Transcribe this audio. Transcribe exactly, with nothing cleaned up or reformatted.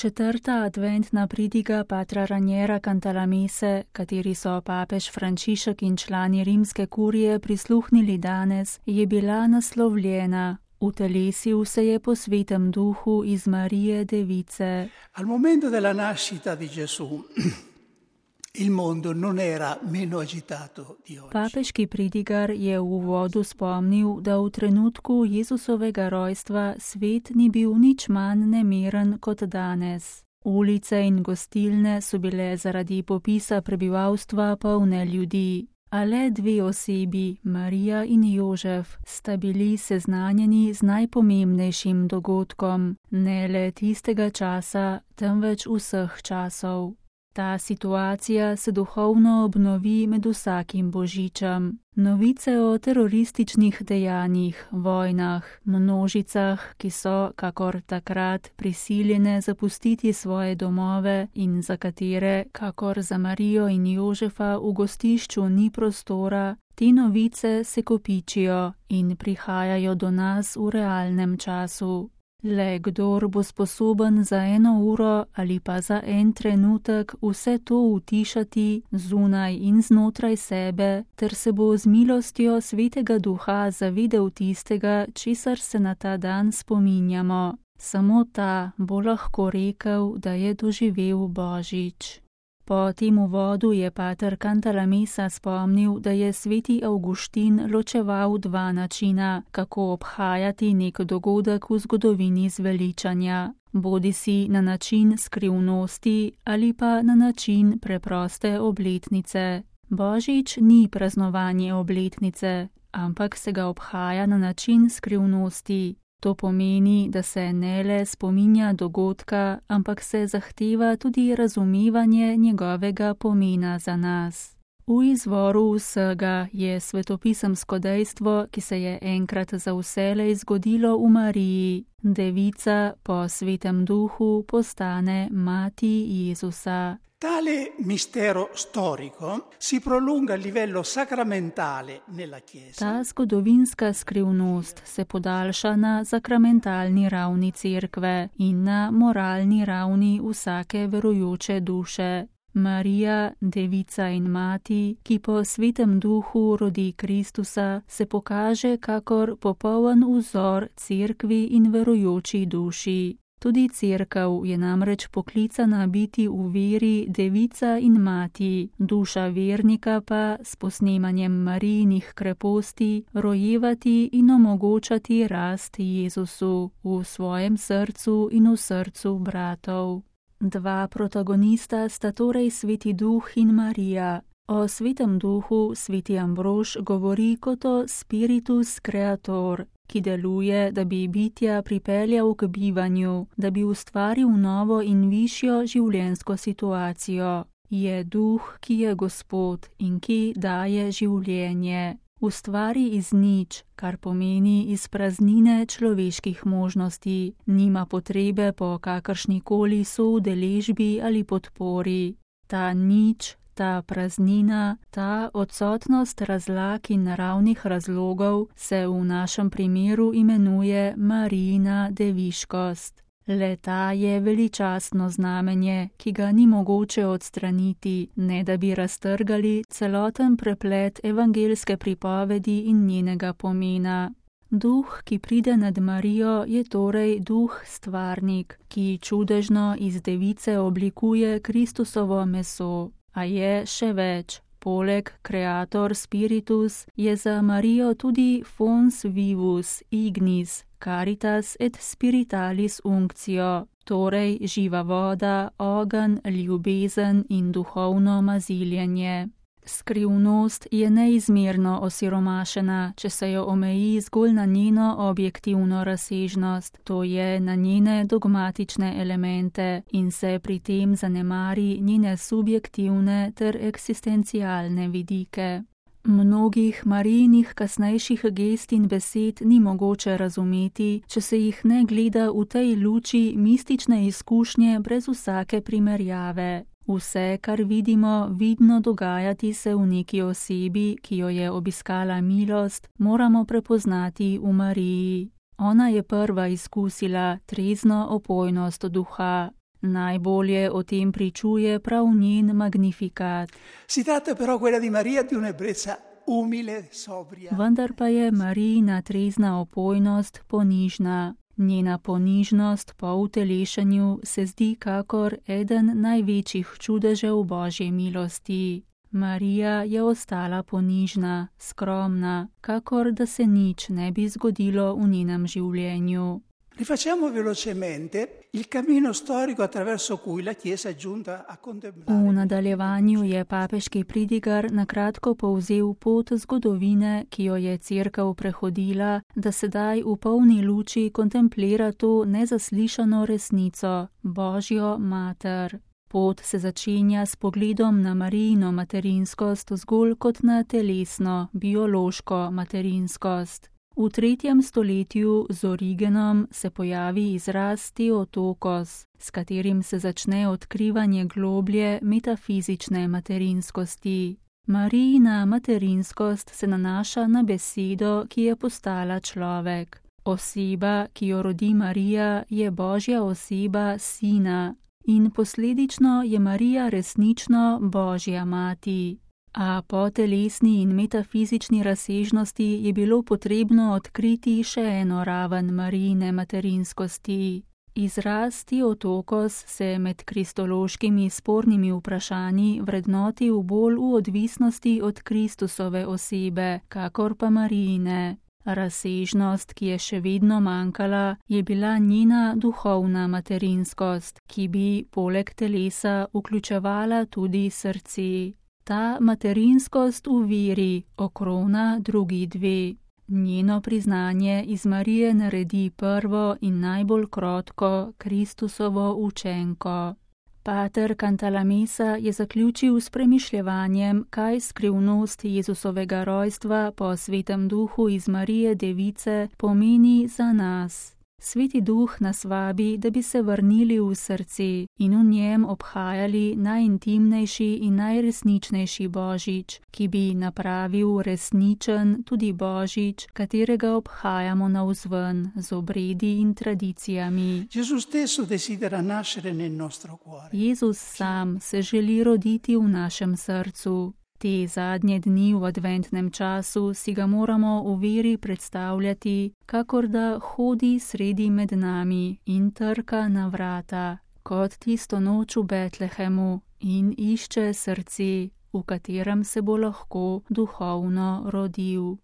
Četrta adventna pridiga patra Raniera Cantalamesse, kateri so papež Frančišek in člani rimske kurije prisluhnili danes, je bila naslovljena: Utelesil se je po svetem duhu iz Marije Device. Al momento della nascita di Gesù, il mondo non era meno agitato di oggi. Papeški pridigar je v uvodu spomnil, da v trenutku Jezusovega rojstva svet ni bil nič manj nemeren kot danes. Ulice in gostilne so bile zaradi popisa prebivalstva polne ljudi, a le dve osebi, Marija in Jožef, sta bili seznanjeni z najpomembnejšim dogodkom, ne le tistega časa, temveč vseh časov. Ta situacija se duhovno obnovi med vsakim božičem. Novice o terorističnih dejanjih, vojnah, množicah, ki so, kakor takrat, prisiljene zapustiti svoje domove in za katere, kakor za Marijo in Jožefa, v gostišču ni prostora, te novice se kopičijo in prihajajo do nas v realnem času. Le kdor bo sposoben za eno uro ali pa za en trenutek vse to utišati zunaj in znotraj sebe, ter se bo z milostjo Svetega Duha zavedel tistega, česar se na ta dan spominjamo. Samo ta bo lahko rekel, da je doživel Božič. Po tem uvodu je pater Cantalamessa spomnil, da je sveti Avguštin ločeval dva načina, kako obhajati nek dogodek v zgodovini zveličanja, bodisi na način skrivnosti ali pa na način preproste obletnice. Božič ni praznovanje obletnice, ampak se ga obhaja na način skrivnosti. To pomeni, da se ne le spominja dogodka, ampak se zahteva tudi razumevanje njegovega pomena za nas. V izvoru vsega je svetopisemsko dejstvo, ki se je enkrat za vselej zgodilo v Mariji. Devica po svetem duhu postane mati Jezusa. Tale mistero storico si prolunga a livello sacramentale nella Chiesa. Ta zgodovinska skrivnost se podaljša na sakramentalni ravni cerkve in na moralni ravni vsake verujoče duše. Marija, devica in mati, ki po svetem duhu rodi Kristusa, se pokaže kakor popoln vzor cerkvi in verujoči duši. Tudi cerkev je namreč poklicana biti v veri devica in mati, duša vernika pa s posnemanjem Marijinih kreposti rojevati in omogočati rast Jezusu v svojem srcu in v srcu bratov. Dva protagonista sta torej sveti duh in Marija. O svetem duhu sveti Ambrož govori kot o spiritus creator, ki deluje, da bi bitja pripeljal k bivanju, da bi ustvaril novo in višjo življenjsko situacijo. Je duh, ki je Gospod in ki daje življenje. Ustvari iz nič, kar pomeni iz praznine človeških možnosti, nima potrebe po kakršnikoli soudeležbi ali podpori. Ta nič, ta praznina, ta odsotnost razlag in naravnih razlogov se v našem primeru imenuje Marijina deviškost. Le ta je veličastno znamenje, ki ga ni mogoče odstraniti, ne da bi raztrgali celoten preplet evangelske pripovedi in njenega pomena. Duh, ki pride nad Marijo, je torej duh stvarnik, ki čudežno iz device oblikuje Kristusovo meso. A je še več. Poleg creator spiritus je za Marijo tudi fons vivus ignis, caritas et spiritualis unctio, torej živa voda, ogenj, ljubezen in duhovno maziljenje. Skrivnost je neizmerno osiromašena, če se jo omeji zgolj na njeno objektivno razsežnost, to je na njene dogmatične elemente in se pri tem zanemari njene subjektivne ter eksistencialne vidike. Mnogih Marijinih kasnejših gest in besed ni mogoče razumeti, če se jih ne gleda v tej luči mistične izkušnje brez vsake primerjave. Vse, kar vidimo, vidno dogajati se v neki osebi, ki jo je obiskala milost, moramo prepoznati v Mariji. Ona je prva izkusila trezno opojnost duha. Najbolje o tem pričuje prav njen magnifikat. Si tratta però quella di Maria di un'ebbrezza umile, sobria. Vendar pa je Marijina trezna opojnost ponižna. Njena ponižnost po utelešenju se zdi kakor eden največjih čudežev Božje milosti. Marija je ostala ponižna, skromna, kakor da se nič ne bi zgodilo v njenem življenju. Rifacciamo velocemente il cammino storico attraverso cui la Chiesa è giunta a contemplare. V nadaljevanju je papeški pridigar na kratko povzel pot zgodovine, ki jo je Cerkev prehodila, da sedaj v polni luči kontemplira to nezaslišano resnico, Božjo mater. Pot se začenja s pogledom na Marijino materinskost zgolj kot na telesno, biološko materinskost. V tretjem stoletju z Origenom se pojavi izraz Theotokos, s katerim se začne odkrivanje globlje metafizične materinskosti. Marijina materinskost se nanaša na besedo, ki je postala človek. Oseba, ki jo rodi Marija, je Božja oseba Sina in posledično je Marija resnično Božja mati. A po telesni in metafizični razsežnosti je bilo potrebno odkriti še eno raven Marijine materinskosti. Izraz Theotokos se med kristološkimi spornimi vprašanji vrednoti v bolj v odvisnosti od Kristusove osebe, kakor pa Marijine. Razsežnost, ki je še vedno manjkala, je bila njena duhovna materinskost, ki bi poleg telesa vključevala tudi srce. Ta materinskost v veri okrona drugi dve. Njeno priznanje iz Marije naredi prvo in najbolj krotko Kristusovo učenko. Pater Cantalamessa je zaključil s premišljevanjem, kaj skrivnost Jezusovega rojstva po Svetem Duhu iz Marije Device pomeni za nas. Sveti Duh nas vabi, da bi se vrnili v srce in v njem obhajali najintimnejši in najresničnejši Božič, ki bi napravil resničen tudi Božič, katerega obhajamo navzven z obredi in tradicijami. Jezus sam se želi roditi v našem srcu. Te zadnje dni v adventnem času si ga moramo v veri predstavljati, kakor da hodi sredi med nami in trka na vrata, kot tisto noč v Betlehemu in išče srce, v katerem se bo lahko duhovno rodil.